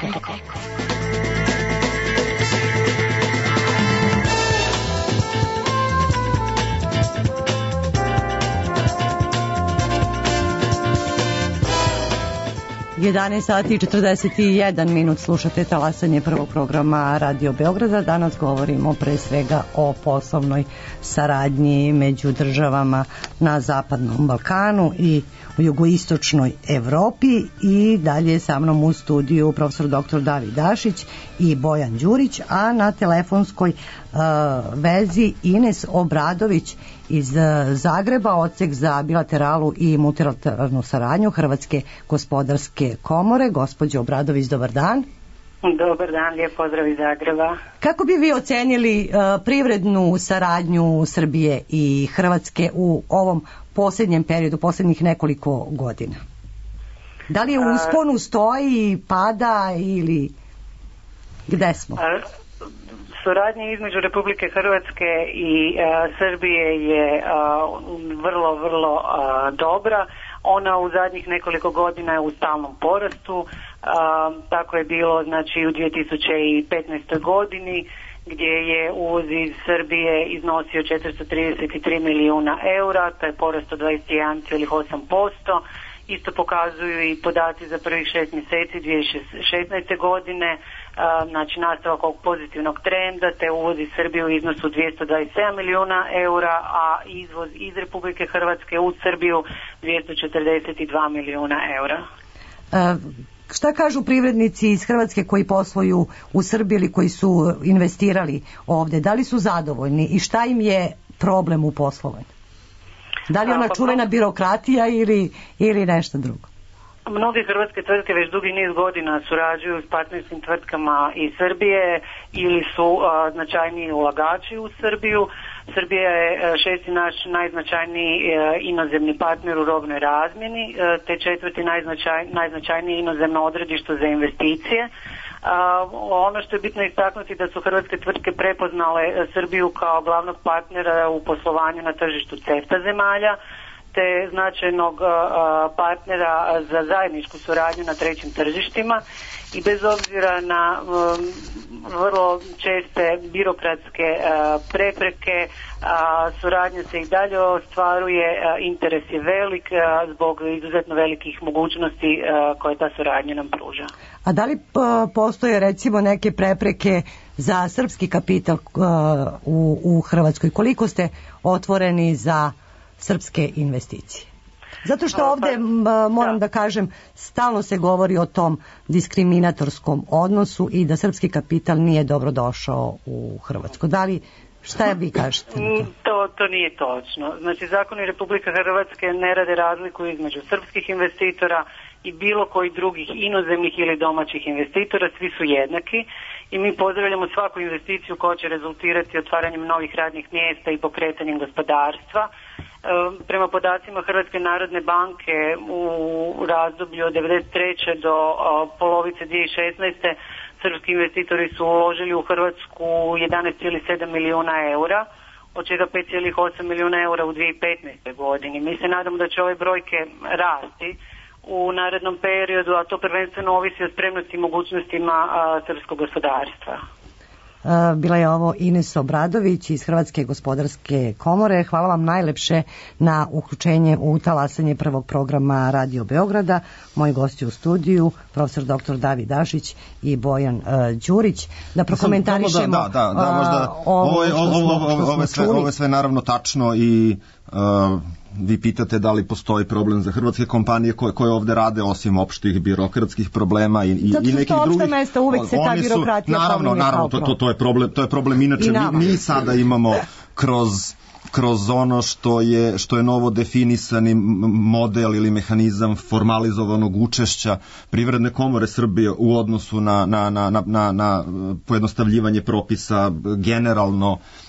11 sati i 41 minut slušate talasanje prvog programa Radio Beograda. Danas govorimo pre svega o poslovnoj saradnji među državama na Zapadnom Balkanu i u jugoistočnoj Evropi. I dalje sa mnom u studiju profesor dr. David Dašić i Bojan Đurić, a na telefonskoj vezi Ines Obradović iz Zagreba, odsek za bilateralu i multilateralnu saradnju Hrvatske gospodarske komore. Gospođo Obradović, dobar dan. Dobar dan, lijep pozdrav iz Zagreba. Kako bi vi ocenili privrednu saradnju Srbije i Hrvatske u ovom posljednjem periodu, posljednjih nekoliko godina? Da li je u usponu, stoji, pada ili gde smo? Suradnja između Republike Hrvatske i Srbije je vrlo dobra. Ona u zadnjih nekoliko godina je u stalnom porastu. Tako je bilo znači u 2015. godini gdje je uvoz iz Srbije iznosio 433 milijuna eura, to je porast od 21,8%. Isto pokazuju i podaci za prvih 6 mjeseci 2016. godine, znači nastavak ovog pozitivnog trenda, te uvoz iz Srbije u iznosu 227 milijuna eura, a izvoz iz Republike Hrvatske u Srbiju 242 milijuna eura. Šta kažu privrednici iz Hrvatske koji posluju u Srbiji ili koji su investirali ovdje? Da li su zadovoljni i šta im je problem u poslovanju? Da li je ona čuvena birokratija ili nešto drugo? Mnoge hrvatske tvrtke već dugi niz godina surađuju s partnerskim tvrtkama iz Srbije ili su značajniji ulagači u Srbiju. Srbija je šesti naš najznačajniji inozemni partner u robnoj razmjeni, te četvrti najznačajniji inozemno odredište za investicije. Ono što je bitno istaknuti da su hrvatske tvrtke prepoznale Srbiju kao glavnog partnera u poslovanju na tržištu CEFTA zemalja, te značajnog partnera za zajedničku suradnju na trećim tržištima i bez obzira na vrlo česte birokratske prepreke, suradnja se i dalje ostvaruje, interes je velik zbog izuzetno velikih mogućnosti koje ta suradnja nam pruža. A da li postoje recimo neke prepreke za srpski kapital u Hrvatskoj? Koliko ste otvoreni za srpske investicije? Zato što ovdje, moram da kažem, stalno se govori o tom diskriminatorskom odnosu i da srpski kapital nije dobro došao u Hrvatsku. Da li, šta vi kažete? To nije točno. Znači, zakoni Republike Hrvatske ne rade razliku između srpskih investitora i bilo koji drugih inozemnih ili domaćih investitora, svi su jednaki i mi pozdravljamo svaku investiciju koja će rezultirati otvaranjem novih radnih mjesta i pokretanjem gospodarstva. Prema podacima Hrvatske narodne banke u razdoblju od 1993. do polovice 2016. srpski investitori su uložili u Hrvatsku 11,7 milijuna eura, od čega 5,8 milijuna eura u 2015. godini. Mi se nadamo da će ove brojke rasti u narednom periodu, a to prvenstveno ovisi o spremnosti i mogućnostima srpskog gospodarstva. Bila je ovo Ines Obradović iz Hrvatske gospodarske komore. Hvala vam najlepše na uključenje u talasanje prvog programa Radio Beograda. Moji gosti u studiju, profesor dr. David Dašić i Bojan Đurić. Da prokomentarišemo ovo je sve naravno tačno i vi pitate da li postoji problem za hrvatske kompanije koje ovde rade, osim opštih birokratskih problema i nekih drugih. Mesta, uvek se ta birokratija naravno, to je problem. Inače, mi sada imamo kroz ono što je novo definisani model ili mehanizam formalizovanog učešća Privredne komore Srbije u odnosu na pojednostavljivanje propisa,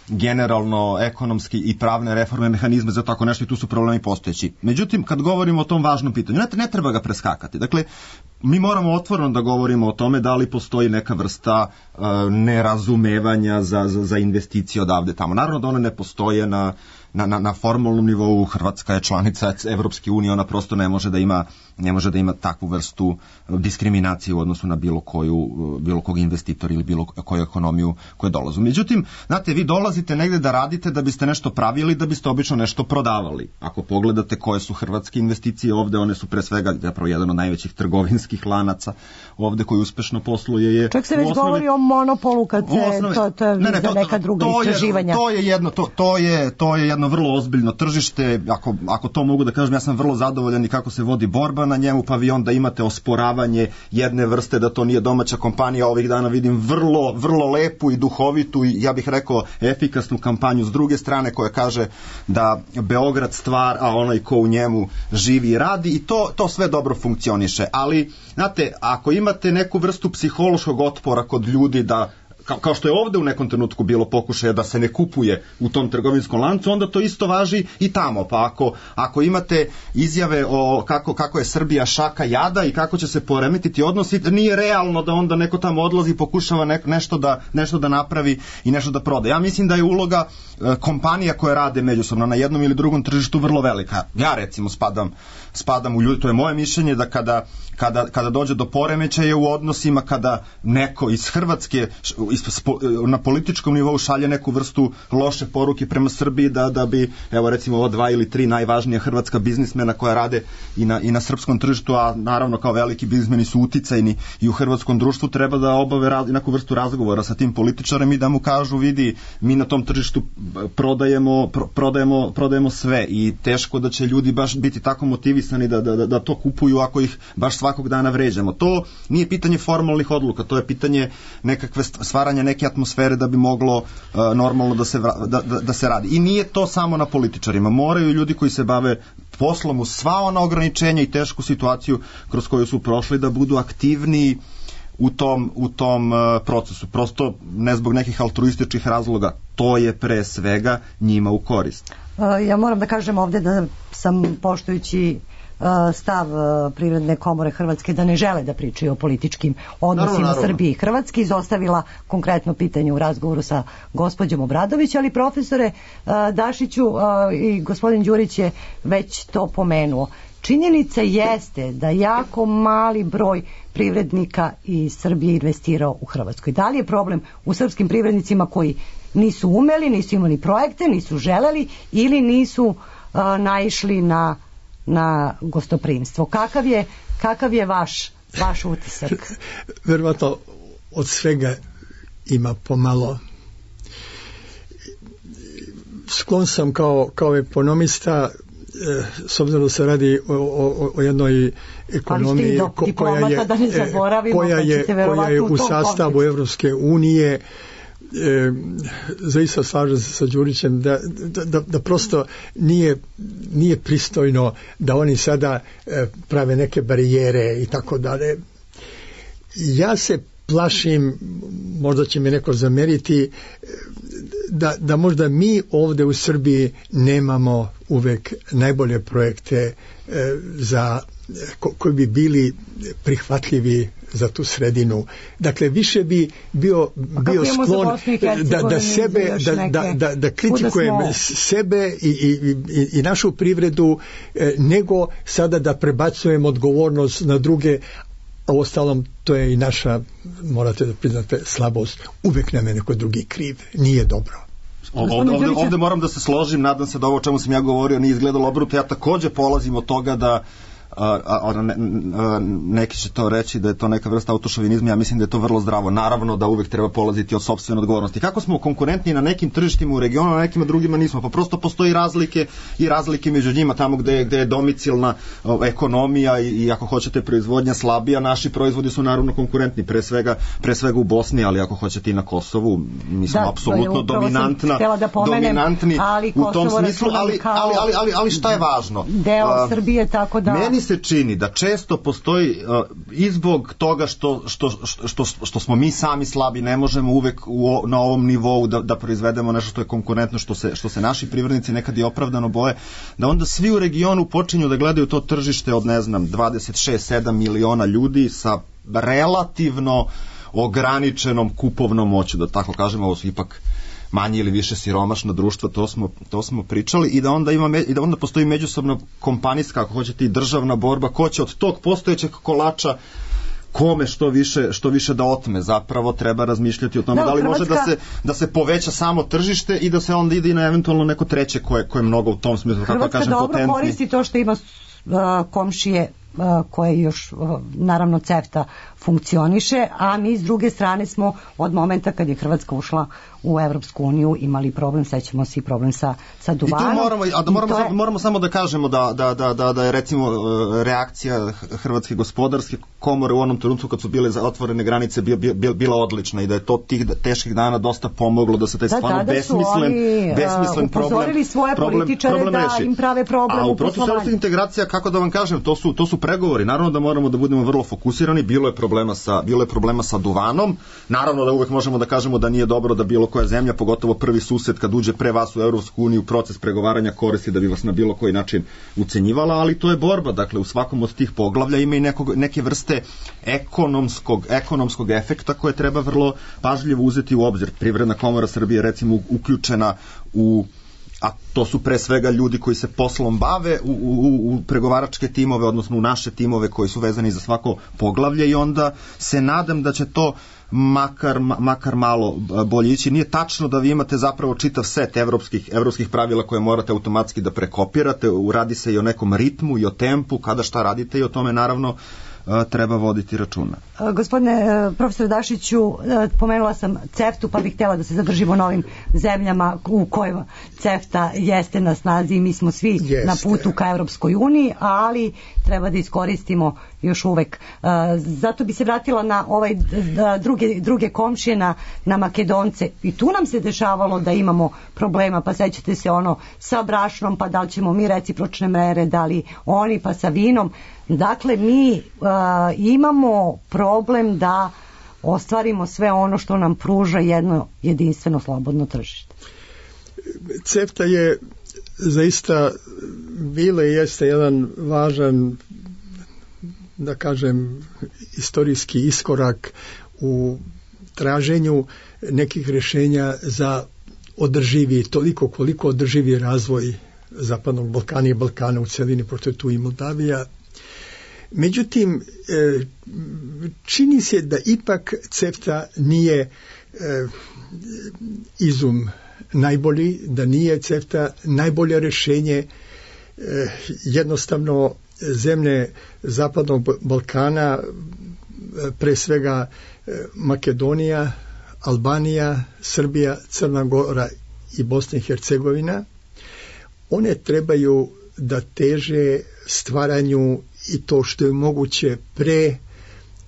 generalno ekonomski i pravne reforme, mehanizme za tako nešto i tu su problemi postojeći. Međutim, kad govorimo o tom važnom pitanju, ne treba ga preskakati. Dakle, mi moramo otvoreno da govorimo o tome da li postoji neka vrsta nerazumevanja za investicije odavde tamo. Naravno da one ne postoje na formalnom nivou. Hrvatska je članica Evropske unije, ona prosto ne može da ima takvu vrstu diskriminacije u odnosu na bilo kog investitora ili bilo koju ekonomiju koja dolazu. Međutim, znate, vi dolazite negde da radite da biste nešto pravili, da biste obično nešto prodavali. Ako pogledate koje su hrvatske investicije ovde, one su pre svega zapravo jedan od najvećih trgovinskih lanaca ovde koji uspešno posluje je... Čak se već govori o monopolu kad se to je za neka druga istraživanja. To je jedno vrlo ozbiljno tržište, ako to mogu da kažem, ja sam vrlo zadovoljan i kako se vodi borba na njemu, pa vi onda imate osporavanje jedne vrste da to nije domaća kompanija. Ovih dana vidim vrlo, vrlo lepu i duhovitu i ja bih rekao efikasnu kampanju s druge strane koja kaže da Beograd stvar, a onaj ko u njemu živi i radi i to sve dobro funkcioniše. Ali, znate, ako imate neku vrstu psihološkog otpora kod ljudi da kao što je ovde u nekom trenutku bilo pokušaja da se ne kupuje u tom trgovinskom lancu, onda to isto važi i tamo. Pa ako imate izjave o kako je Srbija šaka jada i kako će se poremetiti odnosi, nije realno da onda neko tamo odlazi i pokušava nešto da napravi i nešto da proda. Ja mislim da je uloga kompanija koje rade međusobno na jednom ili drugom tržištu vrlo velika. Ja recimo spadam u ljudi, to je moje mišljenje da kada dođe do poremećaja u odnosima, kada neko iz Hrvatske na političkom nivou šalje neku vrstu loše poruke prema Srbiji da bi, evo recimo ovo 2 ili 3 najvažnija hrvatska biznismena koja rade i na srpskom tržištu, a naravno kao veliki biznismeni su uticajni i u hrvatskom društvu, treba da obave neku vrstu razgovora sa tim političarem i da mu kažu, vidi, mi na tom tržištu prodajemo sve i teško da će ljudi baš biti tako motivisani da to kupuju ako ih baš svakog dana vređamo. To nije pitanje formalnih odluka, to je pitanje nekakve stvaranja neke atmosfere da bi moglo normalno da se radi. I nije to samo na političarima. Moraju ljudi koji se bave poslom uz sva ona ograničenja i tešku situaciju kroz koju su prošli da budu aktivniji u tom procesu. Prosto ne zbog nekih altruističkih razloga. To je pre svega njima u korist. Ja moram da kažem ovde da sam, poštujući stav Privredne komore Hrvatske da ne žele da pričaju o političkim odnosima Srbije i Hrvatske. Izostavila konkretno pitanje u razgovoru sa gospođom Obradović, ali profesore Dašiću i gospodin Đurić je već to pomenuo. Činjenica jeste da jako mali broj privrednika iz Srbije investirao u Hrvatskoj. Da li je problem u srpskim privrednicima koji nisu umeli, nisu imali projekte, nisu želeli ili nisu naišli na gostoprimstvo? Kakav je vaš utisak? Verovatno od svega ima pomalo. Sklon sam kao ekonomista, s obzirom da se radi o jednoj ekonomiji koja je u sastavu Evropske unije, zaista slažem se sa Đurićem da prosto nije pristojno da oni sada prave neke barijere i tako dalje. Ja se plašim, možda će mi neko zameriti, da možda mi ovde u Srbiji nemamo uvek najbolje projekte koji bi bili prihvatljivi za tu sredinu. Dakle, više bi bio sklon da kritikujem sebe i našu privredu, nego sada da prebacujem odgovornost na druge, a u ostalom to je i naša, morate da priznate, slabost. Uvek nam je neko drugi kriv. Nije dobro. Ovde moram da se složim, nadam se da ovo o čemu sam ja govorio nije izgledalo obrnuto. Ja takođe polazim od toga da neki će to reći da je to neka vrsta autošovinizma, ja mislim da je to vrlo zdravo. Naravno da uvek treba polaziti od sopstvene odgovornosti. Kako smo konkurentni na nekim tržištima u regionu, na nekima drugima nismo, pa prosto postoji razlike među njima, tamo gde je domicilna ekonomija i ako hoćete proizvodnja slabija, naši proizvodi su naravno konkurentni, pre svega u Bosni, ali ako hoćete i na Kosovu, mi smo apsolutno dominantni u tom smislu, ali šta je važno? Deo Srbije, tako da meni se čini da često postoji i zbog toga što smo mi sami slabi, ne možemo uvek na ovom nivou da proizvedemo nešto što je konkurentno, što se naši privrednici nekad i opravdano boje, da onda svi u regionu počinju da gledaju to tržište od 26-7 miliona ljudi sa relativno ograničenom kupovnom moću, da tako kažemo. Ovo su ipak manje ili više siromašna društva, to smo pričali, i da onda postoji međusobna kompanijska, ako hoćete, i državna borba, ko će od tog postojećeg kolača kome što više da otme. Zapravo treba razmišljati o tome da li može da se poveća samo tržište i da se onda ide i na eventualno neko treće koje je mnogo u tom smislu, kako kažem, potentni. Hrvatska dobro koristi to što ima komšije koje još, naravno, CEFTA funkcioniše, a mi s druge strane smo od momenta kad je Hrvatska ušla u Evropsku uniju imali problem, sećamo se i problem sa duvanom. I moramo samo da kažemo da je recimo reakcija Hrvatske gospodarske komore u onom trenutku kad su bile otvorene granice bila odlična i da je to tih teških dana dosta pomoglo da se taj stvarno besmislen upozorili svoje političare da im prave problem u poslovanju. A u procesu evropskih integracija, kako da vam kažem, to su pregovori. Naravno da moramo da budemo vrlo fokusirani. Bilo je problema sa duvanom. Naravno da uvek možemo da kažemo da nije dobro da bilo koja zemlja, pogotovo prvi sused kad uđe pre vas u Evropsku uniju, proces pregovaranja koristi da bi vas na bilo koji način ucenjivala, ali to je borba. Dakle, u svakom od tih poglavlja ima i neke vrste ekonomskog efekta koje treba vrlo pažljivo uzeti u obzir. Privredna komora Srbije recimo uključena a to su pre svega ljudi koji se poslom bave u pregovaračke timove, odnosno u naše timove koji su vezani za svako poglavlje, i onda se nadam da će to makar malo bolje ići. Nije tačno da vi imate zapravo čitav set evropskih pravila koje morate automatski da prekopirate, radi se i o nekom ritmu i o tempu, kada šta radite, i o tome naravno treba voditi računa. Gospodine profesor Dašiću, pomenula sam CEFTA-u, pa bih htjela da se zadržimo na ovim zemljama u kojima CEFTA jeste na snazi i mi smo svi na putu ka Evropskoj uniji, ali treba da iskoristimo još uvek. Zato bi se vratila na ovaj druge komšije, na Makedonce. I tu nam se dešavalo da imamo problema, pa sećate se ono sa brašnom, pa da li ćemo mi recipročne mere, da li oni, pa sa vinom. Dakle, mi imamo problem da ostvarimo sve ono što nam pruža jedno jedinstveno slobodno tržište. CEFTA je zaista bile jeste jedan važan, da kažem, istorijski iskorak u traženju nekih rješenja za održivi, toliko koliko održivi razvoj Zapadnog Balkana i Balkana u celini, pošto je tu i Moldavija. Međutim, čini se da ipak CEFTA nije izum najbolji, da nije CEFTA najbolje rješenje. Jednostavno zemlje Zapadnog Balkana, pre svega Makedonija, Albanija, Srbija, Crna Gora i Bosna i Hercegovina, one trebaju da teže stvaranju i to što je moguće pre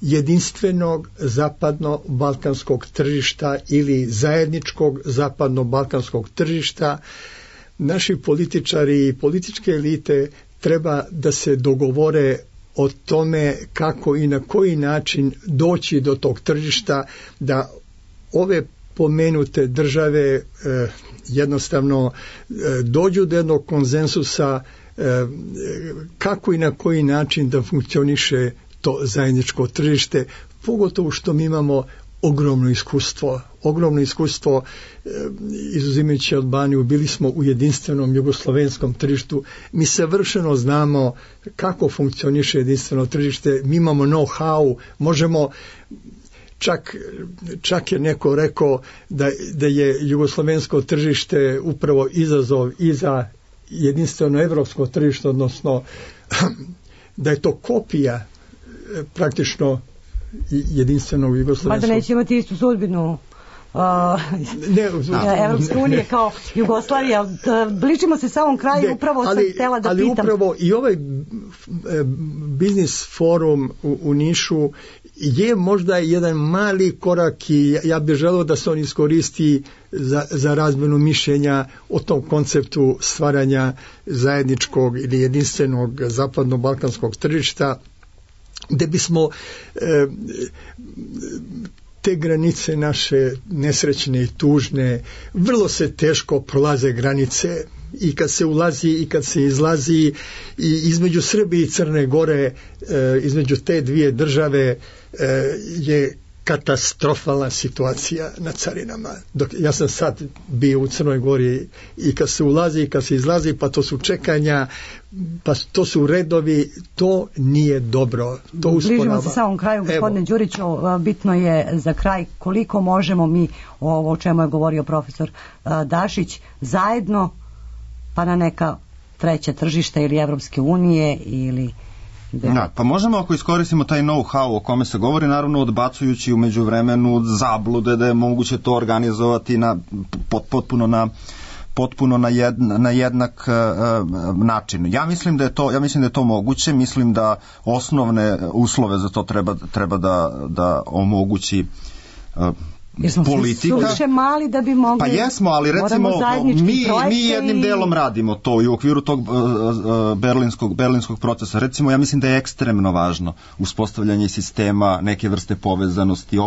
jedinstvenog zapadno-balkanskog tržišta ili zajedničkog zapadno-balkanskog tržišta. Naši političari i političke elite treba da se dogovore o tome kako i na koji način doći do tog tržišta, da ove pomenute države jednostavno dođu do jednog konsenzusa kako i na koji način da funkcioniše to zajedničko tržište, pogotovo što mi imamo ogromno iskustvo, izuzimajući Albaniju, bili smo u jedinstvenom jugoslovenskom tržištu, mi savršeno znamo kako funkcioniše jedinstveno tržište, mi imamo know-how, možemo, čak je neko rekao da je jugoslovensko tržište upravo izazov i za jedinstveno evropsko tržište, odnosno da je to kopija praktično jedinstvenog jugoslovenskog. Pa da neće imati istu sudbinu Evropske unije kao Jugoslavija. Bližimo se samom kraju, upravo sam htjela da pitam. Ali upravo i ovaj biznis forum u Nišu je možda jedan mali korak i ja bih želeo da se on iskoristi za razmjenu mišljenja o tom konceptu stvaranja zajedničkog ili jedinstvenog zapadno-balkanskog tržišta, gde bismo te granice naše nesrećne i tužne, vrlo se teško prolaze granice i kad se ulazi i kad se izlazi, i između Srbije i Crne Gore, između te dvije države je katastrofalna situacija na carinama. Ja sam sad bio u Crnoj Gori i kad se ulazi i kad se izlazi, pa to su čekanja, pa to su redovi, to nije dobro. To usporava. Bližimo se samom kraju, gospodine Đuriću, bitno je za kraj koliko možemo mi, ovo o čemu je govorio profesor Dašić, zajedno pa na neka treća tržišta ili Evropske unije ili... Da, pa možemo ako iskoristimo taj know-how o kome se govori, naravno odbacujući u međuvremenu zablude da je moguće to organizovati potpuno na jednak način. Ja mislim da je to moguće, mislim da osnovne uslove za to treba da omogući politika. Jer smo mali da bi mogli... Pa jesmo, ali recimo mi jednim delom radimo to i u okviru tog berlinskog procesa. Recimo, ja mislim da je ekstremno važno uspostavljanje sistema neke vrste povezanosti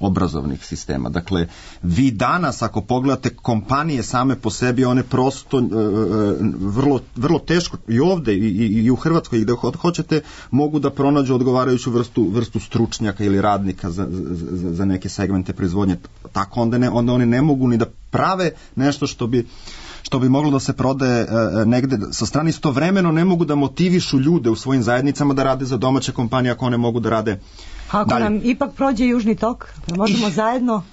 obrazovnih sistema. Dakle, vi danas ako pogledate kompanije same po sebi, one prosto vrlo teško i ovde i u Hrvatskoj i gde hoćete mogu da pronađu odgovarajuću vrstu stručnjaka ili radnika za neke segmente proizvodnje. Tako onda oni ne mogu ni da prave nešto što bi moglo da se prodaje negde sa strane, istovremeno ne mogu da motivišu ljude u svojim zajednicama da rade za domaće kompanije ako one mogu da rade. Ako dalje. Nam ipak prođe Južni tok, možemo zajedno...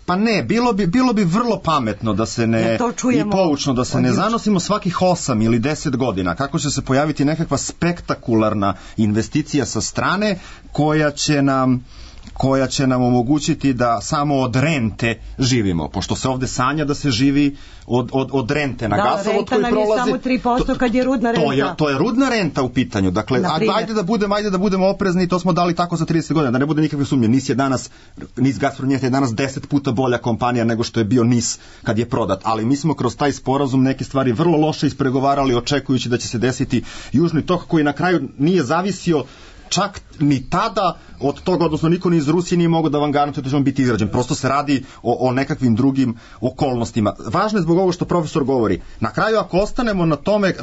Pa ne, bilo bi vrlo pametno da se ne, i poučno da se ne zanosimo svakih 8 ili 10 godina, kako će se pojaviti nekakva spektakularna investicija sa strane koja će nam omogućiti da samo od rente živimo, pošto se ovde sanja da se živi od rente na gasovod koji prolaze. Da, renta nam je samo 3% kad je rudna renta. To je rudna renta u pitanju. Dakle, ajde da budemo oprezni, to smo dali tako za 30 godina, da ne bude nikakve sumnje. NIS Gazprom je danas 10 puta bolja kompanija nego što je bio NIS kad je prodat, ali mi smo kroz taj sporazum neke stvari vrlo loše ispregovarali, očekujući da će se desiti Južni tok koji na kraju nije zavisio čak ni tada od toga, odnosno niko ni iz Rusije nije mogao da vam garantuje da će on biti izrađen. Prosto se radi o nekakvim drugim okolnostima. Važno je zbog ovoga što profesor govori. Na kraju, ako ostanemo na tome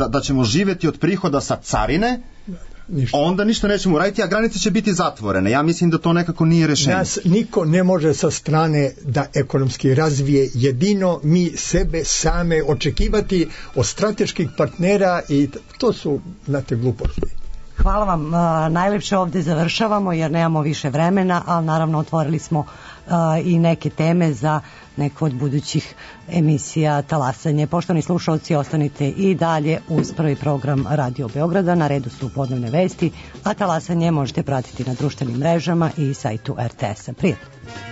da ćemo živjeti od prihoda sa carine, onda ništa nećemo uraditi, a granice će biti zatvorene. Ja mislim da to nekako nije rešenje. Nas niko ne može sa strane da ekonomski razvije, jedino mi sebe same očekivati od strateških partnera i to su, znate, gluposti. Hvala vam, najlepše ovde završavamo jer nemamo više vremena, ali naravno otvorili smo i neke teme za neko od budućih emisija Talasanje. Poštovani slušalci, ostanite i dalje uz prvi program Radio Beograda. Na redu su podnevne vesti, a Talasanje možete pratiti na društvenim mrežama i sajtu RTS-a. Prijatno!